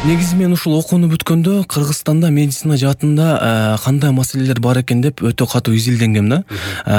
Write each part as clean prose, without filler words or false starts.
Негизи мен ушул окууну бүткөндө Кыргызстанда медицина жаатында кандай маселелер бар экен деп өтө катуу изилденгем да.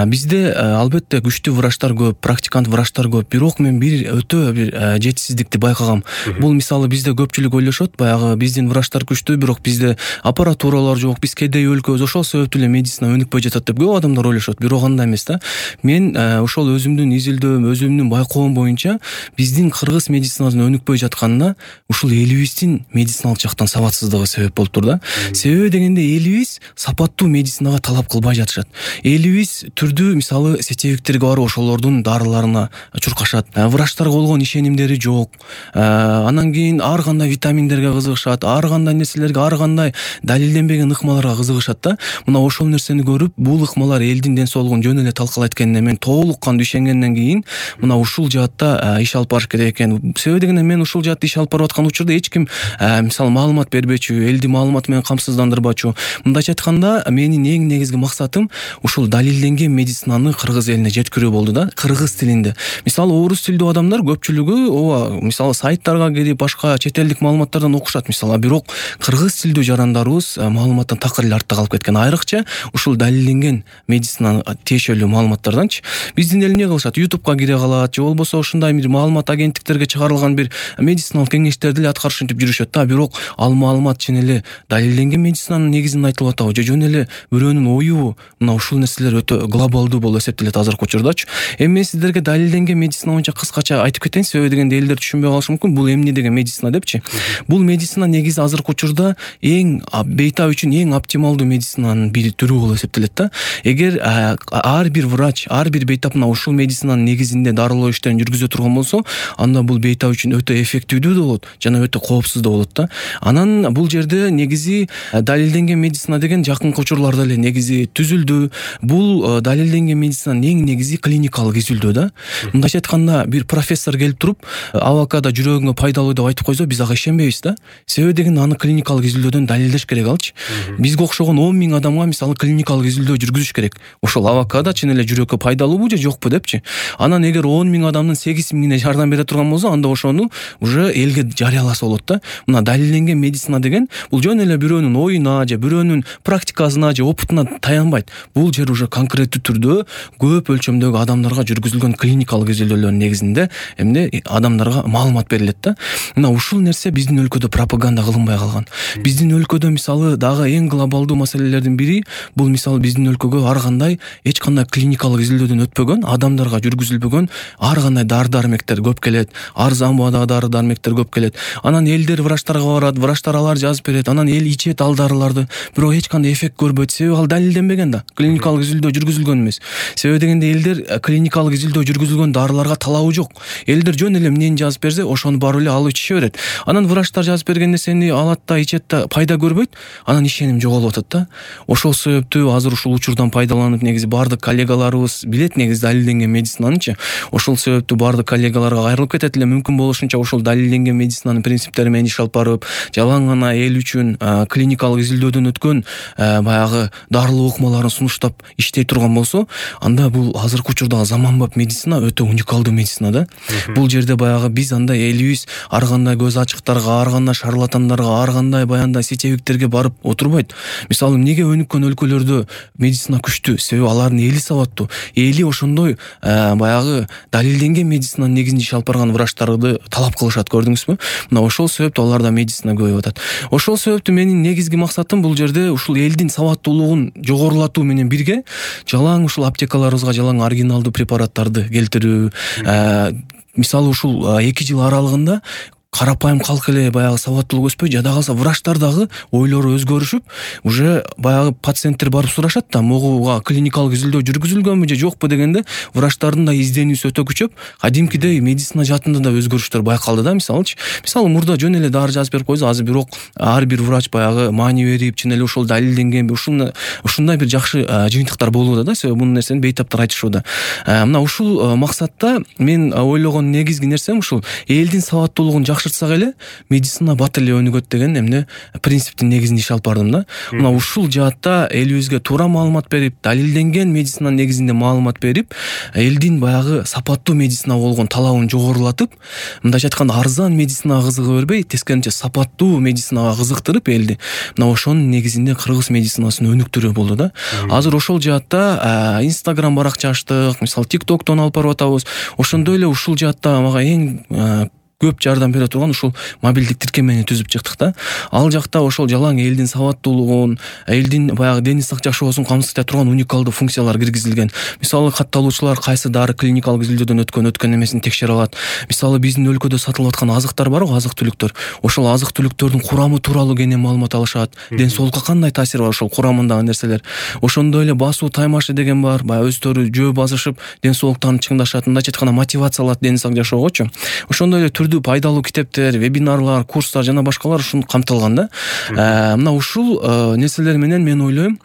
Бизде албетте күчтүү врачтар көп, практикант врачтар көп, бирок мен өтө бир жетишсиздикти байкагам. Бул мисалы бизде көпчүлүк ойлошот, баягы биздин врачтар күчтүү, бирок бизде аппаратуралар жок, биз кедей өлкөбүз, ошол себептүү эле медицина өнүкпөй жатат деп көп адамдар ойлошот. Бирок андай эмес да. Мен ошол өзүмдүн изилдөөм, өзүмдүн байкоом боюнча биздин кыргыз медицинасынын өнүкпөй жатканына ушул элибиздин медициналык жактан сабатсыздыгы себеп болуптур да. Себеби дегенде элибиз сапаттуу медицинага талап кылбай жатышат. Элибиз түрдүү мисалы сетевиктерге барып ошолордун дарыларына чуркашат. Врачтарга болгон ишенимдери жок. Анан кийин ар кандай витаминдерге кызыгышат, ар кандай нерселерге, ар кандай далилденбеген ыкмаларга кызыгышат да. Мына ошол нерсени көрүп, бул ыкмалар элдин ден соолугун жөн эле талкалайт экенине мен толук кандуу ишенгенден кийин мына ушул жаатта иш алып барыш керек экен. Себеби дегенде мен ушул жаатта иш алып барып аткан учурда эч ким мисалы маалымат бербечү, элди маалымат менен камсыздандырбачу. Мындайча айтканда, менин эң негизги максатым ушул далилденген медицинаны кыргыз элине жеткирүү болду да, кыргыз тилинде. Мисалы орус тилдүү адамдар көпчүлүгү ооба, мисалы сайттарга кирип, башка чет элдик маалыматтардан окушат мисалы, бирок кыргыз тилдүү жарандарыбыз маалыматтан такыр эле артта калып кеткен. Айрыкча ушул далилденген медицина тиешелүү маалыматтарданчы. Биздин эл эмне кылышат? YouTube'га кире калат, же болбосо ушундай бир маалымат агенттиктерге чыгарылган бир медициналык кеңештерди эле аткарыш антип жүрүшөт да, бирок ал маалымат чын эле далилденген медицинанын негизинде айтылып атабы, же жөн эле бирөөнүн оюбу? Мына ушул нерселер өтө глобалдуу болуп эсептелет азыркы учурдачы. Эми мен сиздерге далилденген медицина боюнча кыскача айтып кетейин, себеби дегенде элдер түшүнбөй калышы мүмкүн. Бул эмне деген медицина депчи? Бул медицина негизи азыркы учурда эң бейтап үчүн эң оптималдуу медицинанын бир түрү болуп эсептелет да. Эгер ар бир врач, ар бир бейтап мына ушул медицинанын негизинде дарылоо иштерин жүргүзө турган болсо, анда бул бейтап үчүн өтө эффективдүү да болот жана өтө коопсуз да болот да. Анан бул жерде негизи далилденген медицина деген жакынкы учурларда эле негизи түзүлдү. Бул далилденген медицинанын эң негизи клиникалык изилдөө да. Мындайча айтканда, бир профессор келип туруп, авокадо жүрөгүңө пайдалуу деп айтып койсо, биз ага ишенбейбиз да. Себеби дегенде аны клиникалык изилдөөдөн далилдеш керек алчы. Бизге окшогон 10 000 адамга мисалы клиникалык изилдөө жүргүзүш керек. Ошол авокадо чын эле жүрөккө пайдалуубу же жокпу депчи. Анан эгер 10 000 адамдын 8 000-ине жардам бере турган болсо, анда ошону уже элге жарыяласа болот да. Мына далилденген медицина деген бул жөн эле бирөөнүн оюна же бирөөнүн практикасына же опытына таянбайт. Бул жер уже конкреттүү түрдө көп өлчөмдөгү адамдарга жүргүзүлгөн клиникалык изилдөөлөрдүн негизинде эмне адамдарга маалымат берилет да. Мына ушул нерсе биздин өлкөдө пропаганда кылынбай калган. Биздин өлкөдө мисалы дагы эң глобалдуу маселелердин бири бул мисалы биздин өлкөгө ар кандай эч кандай клиникалык изилдөөдөн өтпөгөн, адамдарга жүргүзүлбөгөн ар кандай дары-дармектер көп келет, арзан баадагы дары-дармектер көп келет. Анан элдер врачтарга барат, врачтар алар жазып берет, анан эл ичет ал дарыларды, бирок эч кандай эффект көрбөйт. Себеби ал далилденбеген да, клиникалык изилдөө жүргүзүлгөн эмес. Себеби дегенде элдер клиникалык изилдөө жүргүзүлгөн дарыларга талабы жок. Элдер жөн эле эмнени жазып берсе, ошону барып эле алып ичише берет. Анан врачтар жазып берген нерсени алат да, ичет да, пайда көрбөйт. Анан ишеним жоголуп атат да. Ошол себептүү азыр ушул учурдан пайдаланып негизи бардык коллегаларыбыз билет негизи далилденген медицинанычы. Ошол себептүү бардык коллегаларга кайрылып кетет эле, мүмкүн болушунча ошол далилденген медицинанын принциптери менен иш алып барып, жалаң гана эл үчүн клиникалык изилдөөдөн өткөн баягы дарылоо ыкмаларын сунуштап иштей турган болсо, анда бул азыркы учурдагы заманбап медицина өтө уникалдуу медицина да. Бул жерде баягы биз анда элибиз ар кандай көз ачыктарга, ар кандай шарлатандарга, ар кандай баяндай сетевиктерге барып отурбайт. Мисалы эмнеге өнүккөн өлкөлөрдө медицина күчтүү? Себеби алардын эли сабаттуу. Эли ошондой баягы далилденген медицинанын негизинде иш алып барган врачтарды талап кылышат, көрдүңүзбү? Мына ошол себептүү аларда медицина көбөйүп атат. Ошол себептүү менин негизги максатым бул жерде ушул элдин сабаттуулугун жогорулатуу менен бирге жалаң ушул аптекаларыбызга жалаң оригиналдуу препараттарды келтирүү. Мисалы ушул 2 жыл аралыгында карапайым калк эле баягы сабаттуулук өспөй, жада калса врачтар дагы ойлору өзгөрүшүп, уже баягы пациенттер барып сурашат да, могуга клиникалык изилдөө жүргүзүлгөнбү же жокпу дегенде, врачтардын да изденүүсү өтө күчөп, кадимкидей медицина жаатында да өзгөрүштөр байкалды да. Мисалычы, мурда жөн эле дары жазып берип койсо, азыр бирок ар бир врач баягы маани берип, чын эле ушул далилденгенби, ушундай бир жакшы жыйынтыктар болууда да. Себеби бул нерсени бейтаптар айтышууда. Мына ушул максатта мен ойлогон негизги нерсем ушул элдин сабаттуулугун жакшыртсак эле медицина бат эле өнүгөт деген эмне принциптин негизинде иш алып бардым да. Мына ушул жаатта элибизге туура маалымат берип, далилденген медицинанын негизинде маалымат берип, элдин баягы сапаттуу медицинага болгон талабын жогорулатып, мындайча айтканда арзан медицинага кызыга бербей, тескерисинче сапаттуу медицинага кызыктырып элди. Мына ошонун негизинде кыргыз медицинасын өнүктүрүү болду да. Азыр ошол жаатта Instagram баракча ачтык, мисалы TikTok'тон алып барып атабыз. Ошондой эле ушул жаатта мага эң көп жардам бере турган ушул мобилдик тиркемени түзүп чыктык да. Ал жакта ошол жалаң элдин сабаттуулугун, элдин баягы дени сак жашоосун камсыз эте турган уникалдуу функциялар киргизилген. Мисалы катталуучулар кайсы дары клиникалык изилдөөдөн өткөн эмесин текшере алат. Мисалы биздин өлкөдө сатылып аткан азыктар барго, азык-түлүктөр. Ошол азык-түлүктөрдүн курамы тууралуу кенен маалымат алышат. Ден соолукка кандай таасири бар ошол курамындагы нерселер. Ошондой эле басуу таймашы деген бар. Баягы өздөрү жөө басышып, ден соолуктарын чыңдашат. Мындайча айтканда мотивация алат дени сак жашоогочу. Ошондой эле пайдалуу китептер, вебинарлар, курстар жана башкалар ушуну камтылган да. Мына ушул нерселер менен мен ойлойм,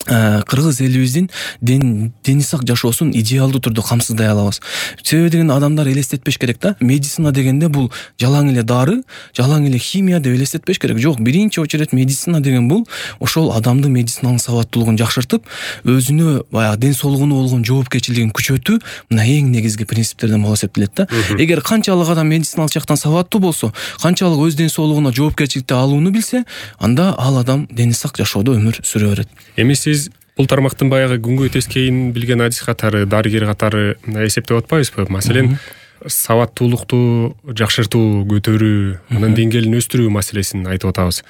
кыргыз элибиздин дени сак жашоосун идеалдуу түрдө камсыздай алабыз. Себеби деген адамдар элестетпеш керек да. Медицина дегенде бул жалаң эле дары, жалаң эле химия деп элестетпеш керек. Жок, биринчи очередь медицина деген бул ошол адамдын медициналык сабаттуулугун жакшыртып, өзүнө баягы ден соолугуна болгон жоопкерчилигин күчөтүү мына эң негизги принциптерден болуп эсептелет да. Эгер канчалык адам медициналык жактан сабаттуу болсо, канчалык өз ден соолугуна жоопкерчиликти алууну билсе, анда ал адам дени сак жашоодо өмүр сүрө берет. Эми сиз бул тармактын баягы күнгөй тескейин билген адис катары, дарыгер катары эсептеп атпайбызбы? Маселен, сабаттуулукту жакшыртуу, көтөрүү, анын деңгээлин өстүрүү маселесин айтып атабыз.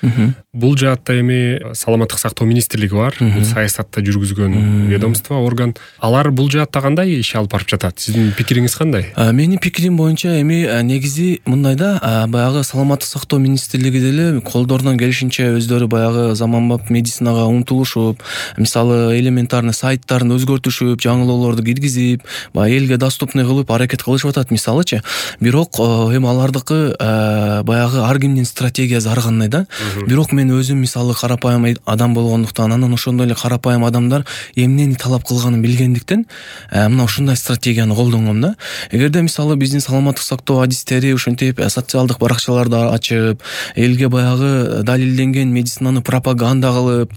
Бул жаатта эми саламаттык сактоо министрлиги бар, бул саясатта жүргүзгөн ведомство, орган. Алар бул жаатта кандай иш алып барып жатат? Сиздин пикириңиз кандай? Менин пикирим боюнча эми негизи мындай да, баягы саламаттык сактоо министрлиги деле колдорунан келишинче өздөрү баягы заманбап медицинага умтулушуп, мисалы элементарный сайттарын өзгөртүшүп, жаңылоолорду киргизип, баягы элге доступный кылып аракет кылышып атат. Мисалычы, бирок эми алардыкы баягы ар кимдин стратегиясы ар кандай да. Бирок мен өзүм мисалы карапайым адам болгондуктан, анан ошондой эле карапайым адамдар эмнени талап кылганын билгендиктен, мына ушундай стратегияны колдонгом да. Эгерде мисалы биздин саламаттык сактоо адистери ушинтип социалдык баракчаларды ачып, элге баягы далилденген медицинаны пропаганда кылып,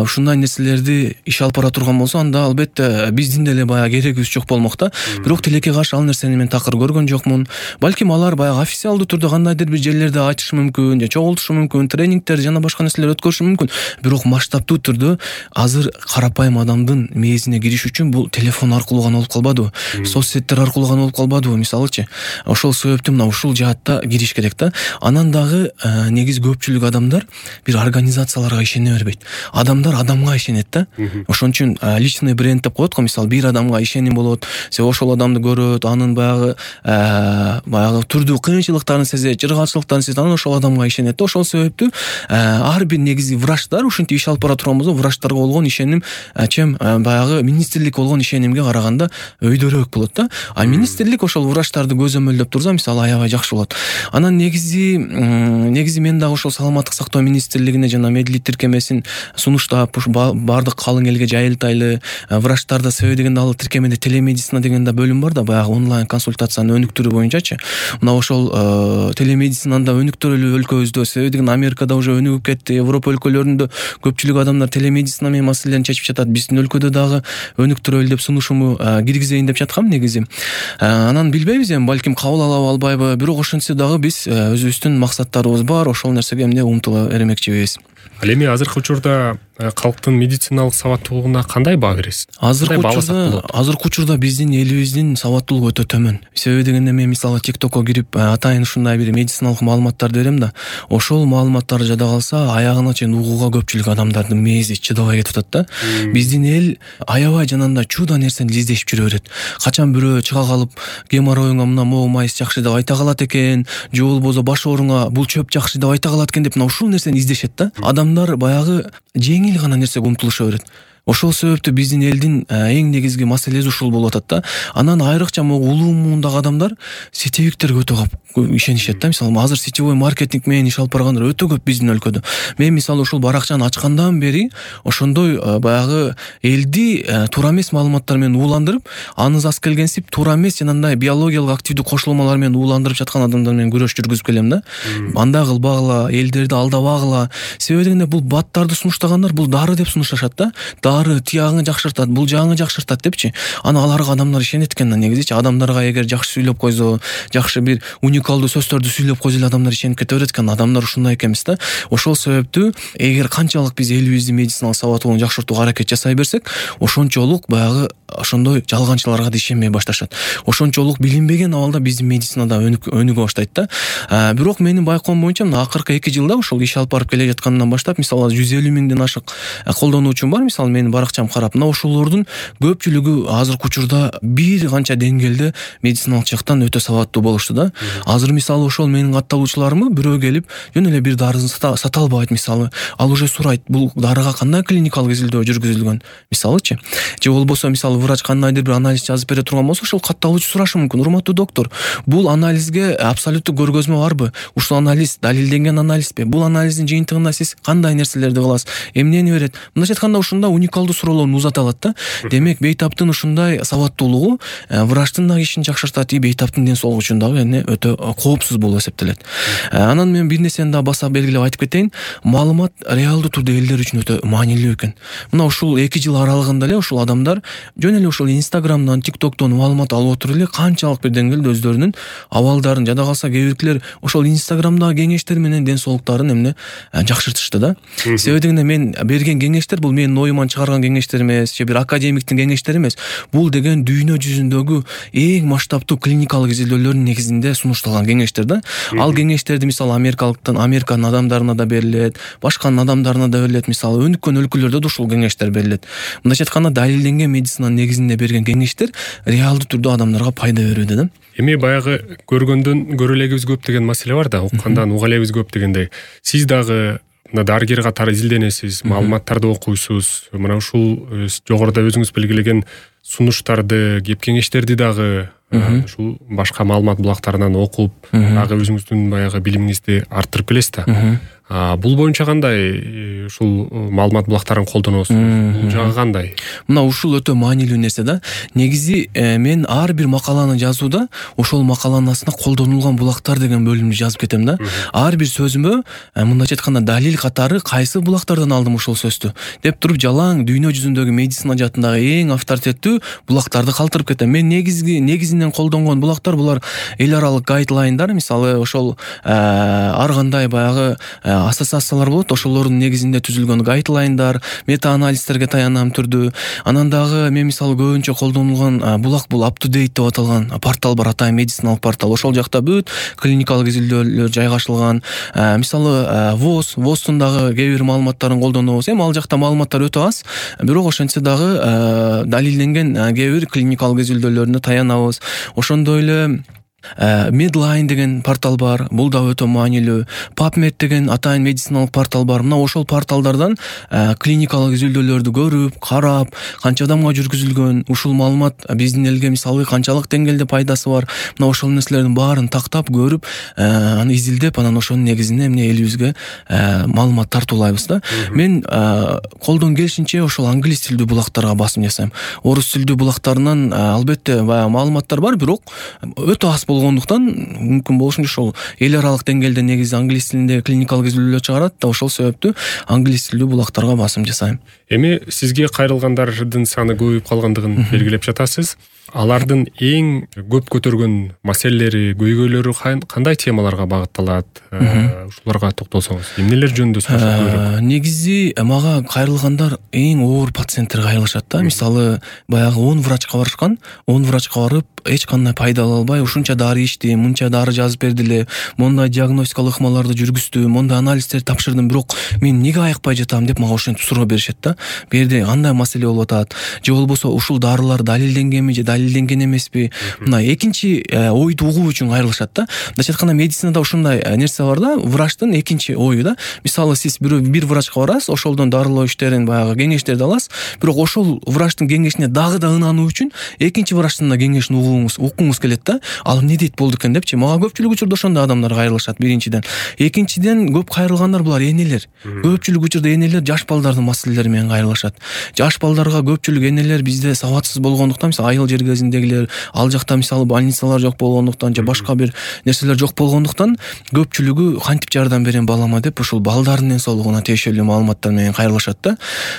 ушундай нерселерди иш алып бара турган болсо, анда албетте биздин деле баягы керегибиз жок болмок да. Бирок тилекке каршы ал нерсени мен көргөн жокмун. Балким алар баягы официалдуу түрдө кандайдыр бир жерлерде айтышы мүмкүн, же чогултушу мүмкүн, тренингдер жана башка нерселер өткөрүшү мүмкүн. Бирок масштабтуу түрдө азыр карапайым адамдын мээсине кириш үчүн бул телефон аркылуу гана болуп калбадыбы, соцсеттер аркылуу гана болуп калбадыбы, мисалычы. Ошол себептен мына ушул жаатта кириш керек да. Анан дагы негизи көпчүлүк адамдар бир организацияларга ишене бербейт. Адамдар адамга ишенет да. Ошон үчүн личный бренд деп коет го, мисалы бир адамга ишеним болот, себеби ошол адамды көрөт, анын баягы түрдүү кыйынчылыктарын сезет, жыргалчылыктарын сезет, анан ошол адамга ишенет. Ошол себептүү ар бир негизи врачтар ушинтип иш алып бара турган болсо, врачтарга болгон ишеним баягы министрликке болгон ишенимге караганда өйдөрөөк болот да. А министрлик ошол врачтарды көзөмөлдөп турса, мисалы аябай жакшы болот. Анан негизи мен дагы ошол саламаттык сактоо министрлигине жана медлит тиркемесин сунуштап, бардык калың элге жайылтайлы. Врачтарда себеби дегенде ал тиркемеде телемедицина деген да бөлүм бар да, баягы онлайн консультацияны өнүктүрүү боюнчачы. Мына ошол телемедицинаны да өнүктүрөлү өлкөбүздө. Себеби деген Америкада уже өнүгүп кетти, Европа өлкөлөрүндө көпчүлүк адамдар телемедицина менен маселелерин чечип жатат. Биздин өлкөдө дагы өнүктүрөлү деп сунушуму киргизейин деп жаткам негизи. Анан билбейбиз эми, балким кабыл алабы албайбы, бирок ошентсе дагы биз өзүбүздүн максаттарыбыз бар, ошол нерсеге эмне умтула бермекчибиз. Ал эми азыркы учурда калктын медициналык сабаттуулугуна кандай баа бересиз? Азыркы учурда биздин элибиздин сабаттуулугу өтө төмөн. Себеби дегенде мен мисалы TikTok'ко кирип атайын ушундай бир медициналык маалыматтарды берем да, ошол маалыматтар жада калса аягына чейин угууга көпчүлүк адамдардын мээси чыдабай кетип атат да. Биздин эл аябай жанагындай чуда нерсени издешип жүрө берет. Качан бирөө чыга калып геморроюңа мына могу майс жакшы деп айта калат экен, же болбосо баш ооруңа бул чөп жакшы деп айта калат экен деп мына ушул нерсени издешет да. Адамдар баягы жеңил гана нерсеге умтулуша берет. Ошол себептүү биздин элдин эң негизги маселеси ушул болуп атат да. Анан айрыкча могу улуу муундагы адамдар сетевиктерге өтө көп ишенишет да. Мисалы азыр сетевой маркетинг менен иш алып баргандар өтө көп биздин өлкөдө. Мен мисалы ушул баракчаны ачкандан бери ошондой баягы элди туура эмес маалыматтар менен ууландырып, анызас келгенсип туура эмес жанагындай биологиялык активдүү кошулмалар менен ууландырып жаткан адамдар менен күрөш жүргүзүп келем да. Андай кылбагыла, элдерди алдабагыла. Себеби дегенде бул баттарды сунуштагандар бул дары деп сунушташат да. Дары тиягыңы жакшыртат, бул жагыңы жакшыртат депчи. Аны аларга адамдар ишенет экен да негизичи. Адамдарга эгер жакшы сүйлөп койсо, жакшы бир уникалдуу сөздөрдү сүйлөп койсо эле адамдар ишенип кете берет экен. Адамдар ушундай экенбиз да. Ошол себептүү эгер канчалык биз элибиздин медициналык сабаттуулугун жакшыртууга аракет жасай берсек, ошончолук баягы ошондой жалганчыларга да ишенбей башташат. Ошончолук билинбеген абалда биздин медицинада өнүгө баштайт да. Бирок менин байкоом боюнча мына акыркы 2 жылда ошол иш алып барып келе жаткандан баштап, мисалы 150 миңден ашык колдонуучум бар. Мисалы менин баракчам карап, мына ошолордун көпчүлүгү азыркы учурда бир канча деңгээлде медициналык жактан өтө сабаттуу болушту да. Азыр мисалы ошол менин катталуучуларымы бирөө келип жөн эле бир дарысын сата албайт мисалы. Ал уже сурайт, бул дарыга кандай клиникалык изилдөө жүргүзүлгөн мисалычы. Же болбосо мисалы врач кандайдыр бир анализ жазып бере турган болсо, ошол катталуучу сурашы мүмкүн: урматтуу доктор, бул анализге абсолюттуу көргөзмө барбы? Ушул анализ далилденген анализби? Бул анализдин жыйынтыгында сиз кандай нерселерди кыласыз? Эмнени берет? Мындайча айтканда ушунда уникалдуу суроолорун узата алат да. Демек бейтаптын ушундай сабаттуулугу врачтын да ишин жакшыртат, бейтаптын ден соолугу үчүн дагы өтө коопсуз болуп эсептелет. Анан мен бир нерсени да баса белгилеп айтып кетейин. Маалымат реалдуу турдо элдер үчүн өтө маанилүү экен. Мына ушул 2 жыл аралыгында эле ушул адамдар жөн эле ушул Instagram'дан, TikTok'тон маалымат алып отуруп эле канчалык бир деңгээлде өздөрүнүн абалдарын, жада калса кээ биркилер ошол Instagram'дагы кеңештер менен ден соолуктарын эмне жакшыртышты да. Себеби дегенде мен берген кеңештер бул менин оюман чыгарган кеңештер эмес, же бир академиктин кеңештери эмес. Бул деген дүйнө жүзүндөгү эң масштабтуу клиникалык изилдөөлөрдүн негизинде сунушталган кеңештер да. Ал кеңештерди мисалы Американын адамдарына да берилет, башканын адамдарына да берилет. Мисалы өнүккөн өлкөлөрдө да ушул кеңештер берилет. Мындайча айтканда далилденген медицинанын негизинде берген кеңештер реалдуу түрдө адамдарга пайда берүүдө да. Эми баягы көргөндөн көрө элегибиз көп деген маселе бар да, уккандан уга элебиз көп дегендей. Сиз дагы мына дарыгер катары изилденесиз, маалыматтарды окуйсуз. Мына ушул жогоруда өзүңүз белгилеген сунуштарды, кеп кеңештерди дагы ушул башка маалымат булактарынан окуп, дагы өзүңүздүн баягы билимиңизди арттырып келесиз да. Бул боюнча кандай ушул маалымат булактарын колдоносуз? Бул жагы кандай? Мына ушул өтө маанилүү нерсе да. Негизи мен ар бир макаланы жазууда ошол макаланын астына колдонулган булактар деген бөлүмдү жазып кетем да. Ар бир сөзүмө мындайча айтканда далил катары кайсы булактардан алдым ушул сөздү деп туруп жалаң дүйнө жүзүндөгү медицина жаатындагы эң авторитеттүү булактарды калтырып кетем. Мен негизинен колдонгон булактар булар эл аралык гайдлайндар, мисалы ошол ар кандай баягы ассоциациялар болот, ошолордун негизинде түзүлгөн гайдлайндар, мета-анализдерге таянам түрдүү. Анан дагы мен мисалы көбүнчө колдонулган булак бул up to date деп аталган портал бар, атайын медициналык портал. Ошол жакта бүт клиникалык изилдөөлөр жайгашылган. Мисалы ВОЗдун дагы кээ бир маалыматтарын колдонобуз. Эми ал жакта маалыматтар өтө аз, бирок ошентсе дагы далилденген кээ бир клиникалык изилдөөлөрүнө таянабыз. Ошондой эле Medline деген портал бар, бул да өтө маанилүү. PubMed деген атайын медициналык портал бар. Мына ошол порталдардан клиникалык изилдөөлөрдү көрүп, карап, канча адамга жүргүзүлгөн, ушул маалымат биздин элге мисалы канчалык деңгээлде пайдасы бар. Мына ошол нерселердин баарын тактап, көрүп, аны изилдеп, анан ошонун негизинде эмне элибизге маалымат тартуулайбыз да. Мен колдон келишинче ошол англис тилдүү булактарга басым жасайм. Орус тилдүү булактарынан албетте баягы маалыматтар бар, бирок өтө аз болгондуктан мүмкүн болушунча ошол эл аралык деңгээлде негизи англис тилинде клиникалык изилдөөлөр чыгарат да, ошол себептүү англис тилдүү булактарга басым жасайм. Эми сизге кайрылгандардын саны көбөйүп калгандыгын белгилеп жатасыз. Алардын эң көп көтөргөн маселелери, көйгөйлөрү кандай темаларга багытталат? Ушуларга токтолсоңуз, эмнелер жөнүндө сүйлөшөт көбүрөөк? Негизи мага кайрылгандар эң оор пациенттер кайрылышат да. Мисалы баягы 10 врачка барышкан, 10 врачка барып эч кандай пайда ала албай, ушунча дары ичтим, мынча дары жазып бердиле, мондай диагностикалык ыкмаларды жүргүздүм, мондай анализдерди тапшырдым, бирок мен эмнеге айыкпай жатам деп мага ошентип суроо беришет да. Бу жерде андай маселе болуп атат, же болбосо ушул дарылар далилденгенби же далилденген эмеспи. Мына экинчи ойду угуу үчүн кайрылышат да. Мындайча айтканда медицинада ушундай нерсе бар да, врачтын экинчи ою да. Мисалы сиз бир врачка барасыз, ошолдон дарылоо иштерин баягы кеңештерди аласыз, бирок ошол врачтын кеңешине дагы да ынануу үчүн экинчи врачтын да кеңешин уккуңуз келет да. Ал эмне дейт болду экен депчи. Мага көпчүлүк учурда ошондой адамдар кайрылышат биринчиден. Экинчиден көп кайрылгандар булар энелер. Көпчүлүк учурда энелер жаш балдардын маселелери менен кайрылышат. Жаш балдарга көпчүлүк энелер бизде сабатсыз болгондуктан, мисалы айыл жер кезиндегилер, ал жакта мисалы больницалар жок болгондуктан же башка бир нерселер жок болгондуктан көпчүлүгү кантип жардам берем балама деп ушул балдардын ден соолугуна тиешелүү маалыматтар менен кайрылышат да.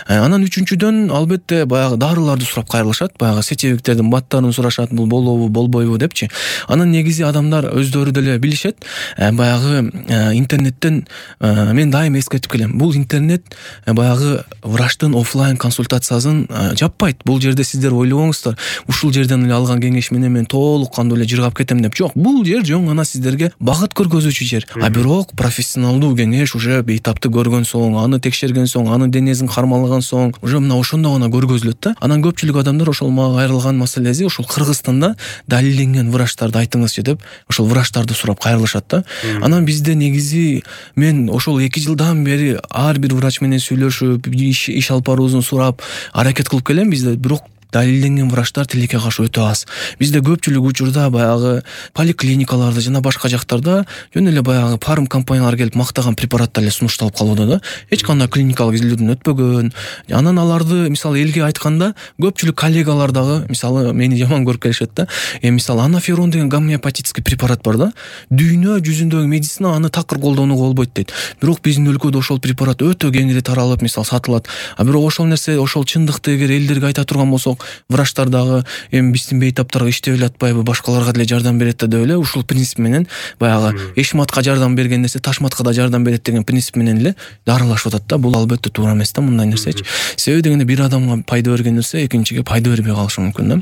Анан үчүнчүдөн албетте баягы дарыларды сурап кайрылышат, баягы сечебиктердин баттарын сурашат, бул болобу, болбойбу депчи. Анан негизи адамдар өздөрү деле билишет, баягы интернеттен мен дайым эскертип келем. Бул интернет баягы врачтын офлайн консультациясын жаппайт. Бул жерде сиздер ойлобоңуздар, ушул жерден эле алган кеңеш менен мен толук кандуу эле жыргап кетем деп. Жок, бул жер жөн гана сиздерге багыт көргөзүүчү жер. Бирок профессионалдуу кеңеш уже бейтапты көргөн соң, аны текшерген соң, анын денесин кармалаган соң, уже мына ошондо гана көргөзүлөт да. Анан көпчүлүк адамдар ошол мага кайрылган маселеси ушул Кыргызстанда далилденген врачтарды айтыңызчы деп ошол врачтарды сурап кайрылышат да. Анан бизде негизи мен ошол 2 жылдан бери ар бир врач менен сүйлөшүп, иш алып баруусун сурап аракет кылып келем. Бизде бирок далилденген врачтар тилекке каршы өтө аз. Бизде көпчүлүк учурда баягы поликлиникаларда жана башка жактарда жөн эле баягы фарм компаниялар келип мактаган препараттар эле сунушталып калууда да. Эч кандай клиникалык изилдөөдөн өтпөгөн. Анан аларды мисалы элге айтканда көпчүлүк коллегалар дагы мисалы мени жаман көрүп келишет да. Мисалы анаферон деген гомеопатический препарат бар да. Дүйнө жүзүндөгү медицина аны такыр колдонууга болбойт дейт. Бирок биздин өлкөдө ошол препарат өтө кеңири таралып, мисалы сатылат. Бирок ошол нерсе, ошол чындыкты эгер элдерге айта турган болсок, врачтар дагы эми биздин бейтаптарга иштеп эле атпайбы, башкаларга деле жардам берет деп эле ушул принцип менен баягы эшматка жардам берген нерсе ташматка да жардам берет деген принцип менен эле дарылашып атат да. Бул албетте туура эмес да мындай нерсечи. Себеби дегенде бир адамга пайда берген нерсе экинчиге пайда бербей калышы мүмкүн да.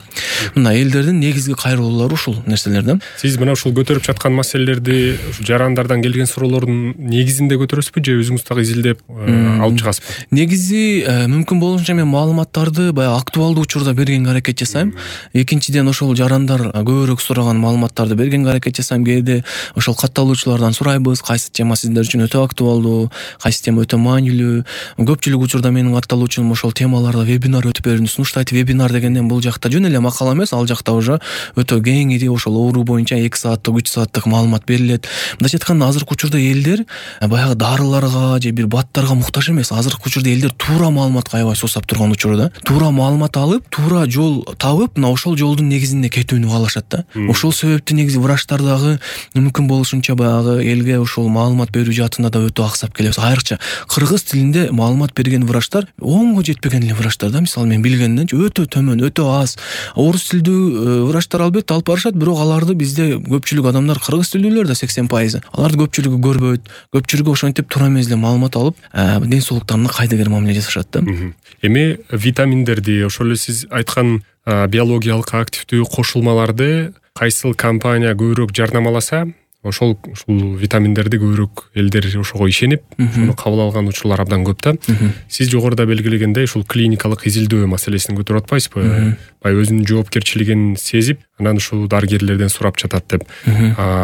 Мына элдердин негизги кайрылуулары ушул нерселер да. Сиз мына ушул көтөрүп жаткан маселелерди жарандардан келген суроолордун негизинде көтөрөсүзбү же өзүңүз дагы изилдеп алып чыгасызбы? Негизи мүмкүн болушунча мен маалыматтарды баягы актуалдуу учурда бергенге аракет жасайм. Экинчиден ошол жарандар көбүрөөк сураган маалыматтарды бергенге аракет жасайм. Кээде ошол катталуучулардан сурайбыз, кайсы тема сиздер үчүн өтө актуалдуу, кайсы тема өтө маанилүү. Көпчүлүк учурда менин катталуучум ошол темаларда вебинар өтүп берүүнү сунуштайт. Вебинар дегенден бул жакта жөн эле макала эмес, ал жакта уже өтө кеңири ошол оору боюнча 2 сааттык, 3 сааттык маалымат берилет. Мындайча айтканда азыркы учурда элдер баягы дарыларга же бир баттарга муктаж эмес. Азыркы учурда элдер туура маалыматка аябай суусап турган учурда. Туура маалымат алып, туура жол табып, мына ошол жолдун негизинде кетүүнү каалашат да. Ошол себептен негизи врачтар дагы мүмкүн болушунча баягы элге ошол маалымат берүү жаатында да өтө аксап келебиз. Айрыкча кыргыз тилинде маалымат берген врачтар оңго жетпеген эле врачтар да. Мисалы мен билгенденчи өтө төмөн, өтө аз. Орус тилдүү врачтар албетте алып барышат, бирок аларды бизде көпчүлүк адамдар кыргыз тилдүүлөр да 80%. Аларды көпчүлүгү көрбөйт. Көпчүлүгү ошентип туура эмес эле маалымат алып, ден соолуктарына кайдыгер мамиле жасашат да. Эми витаминдерди, ошол эле сиз айткан биологиялык активдүү кошулмаларды кайсыл компания көбүрөөк жарнамаласа, ушул витаминдерди көбүрөөк элдер ошого ишенип, ошону кабыл алган учурлар абдан көп да. Сиз жогоруда белгилегендей ушул клиникалык изилдөө маселесин көтөрүп атпайсызбы? Бай өзүнүн жоопкерчилигин сезип, анан ушул дарыгерлерден сурап жатат деп.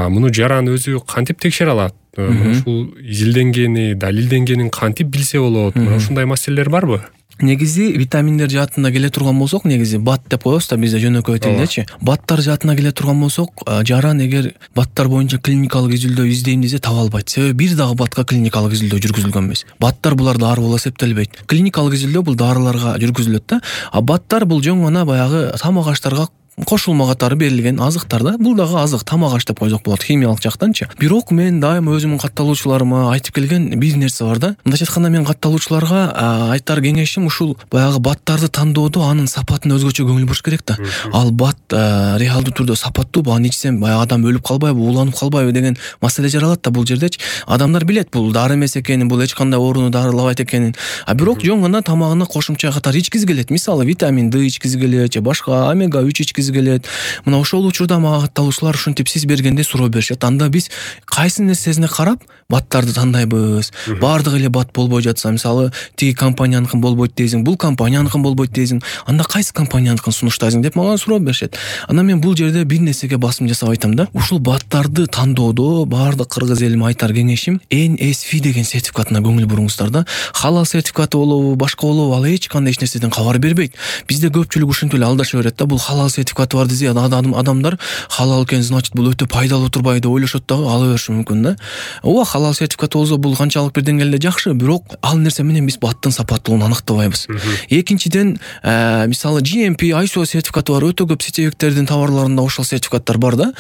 Муну жаран өзү кантип текшере алат? Ушул изилденгени, далилденгенин кантип билсе болот? Ушундай маселелер барбы? Негизи витаминдер жаатында келе турган болсок, негизи бат деп коебуз да бизде жөнөкөй тилдечи. Баттар жаатына келе турган болсок, жаран эгер баттар боюнча клиникалык изилдөө издейм десе таба албайт. Себеби бир дагы батка клиникалык изилдөө жүргүзүлгөн эмес. Баттар булар дары болуп эсептелбейт. Клиникалык изилдөө бул дарыларга жүргүзүлөт да. Баттар бул жөн гана баягы тамак аштарга кошулма катары берилген азыктар да. Бул дагы азык, тамак аш деп койсок болот химиялык жактанчы. Бирок мен дайым өзүмдүн катталуучуларыма айтып келген бир нерсе бар да. Мындайча айтканда мен катталуучуларга айтар кеңешим ушул баягы баттарды тандоодо анын сапатына өзгөчө көңүл буруш керек да. Ал бат реалдуу түрдө сапаттуубу, аны ичсем баягы адам өлүп калбайбы, ууланып калбайбы деген маселе жаралат да бул жердечи. Адамдар билет бул дары эмес экенин, бул эч кандай ооруну дарылабайт экенин. Бирок жөн гана тамагына кошумча катары ичкизи келет. Мисалы витамин D ичкизи келет же башка омега 3 ичкизи жеткизи келет. Мына ошол учурда мага катталуучулар ушинтип сиз бергенде суроо беришет. Анда биз кайсы нерсесине карап баттарды тандайбыз. Баардыгы эле бат болбой жатса, мисалы тиги компанияныкын болбойт дейсиң, бул компанияныкын болбойт дейсиң, анда кайсы компанияныкын сунуштайсың деп мага суроо беришет. Анан мен бул жерде бир нерсеге басым жасап айтам да. Ушул баттарды тандоодо баардык кыргыз элиме айтар кеңешим NSF деген сертификатына көңүл буруңуздар да. Халал сертификаты болобу, башка болобу, ал эч кандай нерседен кабар бербейт. Бизде көпчүлүк ушинтип эле алдаша берет да. Бул халал сертификаты бар десе, адамдар халал экен, значит бул өтө пайдалуу турбайбы деп ойлошот дагы, ала бериши мүмкүн да. Ооба, халал сертификаты болсо бул канчалык бир деңгээлде жакшы, бирок ал нерсе менен биз баттын сапаттуулугун аныктабайбыз. Экинчиден, мисалы GMP, ISO сертификаты бар, өтө көп сетевиктердин товарларында ошол сертификаттар бар да.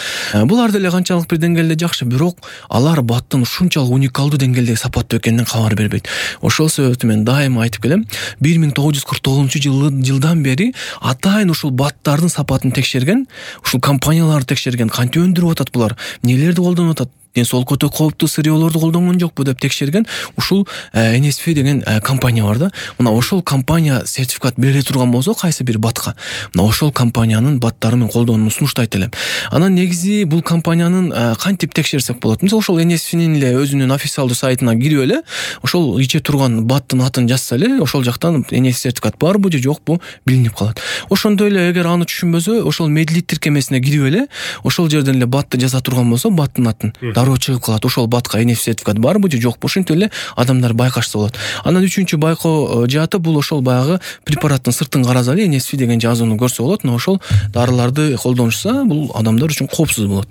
Булар деле канчалык бир деңгээлде жакшы, бирок алар баттын ушунчалык уникалдуу деңгээлде сапаттуу экенинен кабар бербейт. Ошол себептен мен дайыма айтып келем, 1949-жылдан бери атайын ушул баттардын сапатын текшерген, ушул компанияларды текшерген, кантип өндүрүп атат булар, эмнелерди колдонуп атат, ден соолукка өтө кооптуу сырьёолорду колдонгон жокпу деп текшерген ушул NSF деген компания бар да. Мына ошол компания сертификат бере турган болсо кайсы бир батка, мына ошол компаниянын баттары менен колдонууну сунуштайт элем. Анан негизи бул компаниянын кантип текшерсек болот? Мисалы ошол NSF'нин эле өзүнүн официалдуу сайтына кирип эле, ошол иче турган баттын атын жазса эле, ошол жактан NSF сертификат барбы же жокпу билинип калат. Ошондой эле эгер аны түшүнбөсө, ошол медлит тиркемесине кирип эле, ошол жерден эле батты жаза турган болсо, баттын атын дароо чыгып калат. Ошол батка NSF сертификат барбы же жокпу, ошентип эле адамдар байкашса болот. Анан үчүнчү байкоо жааты бул ошол баягы препараттын сыртын караса эле NSF деген жазууну көрсө болот. Ошол дарыларды колдонушса, бул адамдар үчүн коопсуз болот.